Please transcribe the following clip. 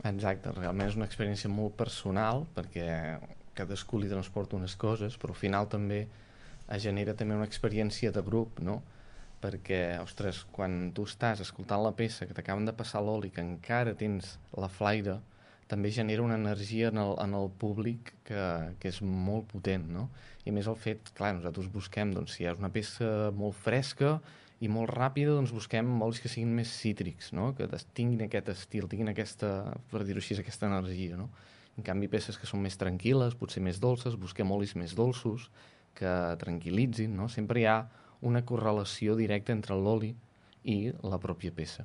Exacte, realment és una experiència molt personal perquè cadascú li transporta unes coses, però al final també es genera també una experiència de grup, no? Perquè, ostres, quan tu estàs escoltant la peça, que t'acaben de passar l'oli, que encara tens la flaire, també genera una energia en el públic que és molt potent, no? I a més el fet, clar, nosaltres busquem, doncs, si és una peça molt fresca i molt ràpida, doncs busquem olis que siguin més cítrics, no? Que tinguin aquest estil, tinguin aquesta, per dir-ho així, aquesta energia, no? En canvi, peces que són més tranquil·les, potser més dolces, busquem olis més dolços, que tranquil·litzin, no? Sempre hi ha una correlació directa entre l'oli i la pròpia peça.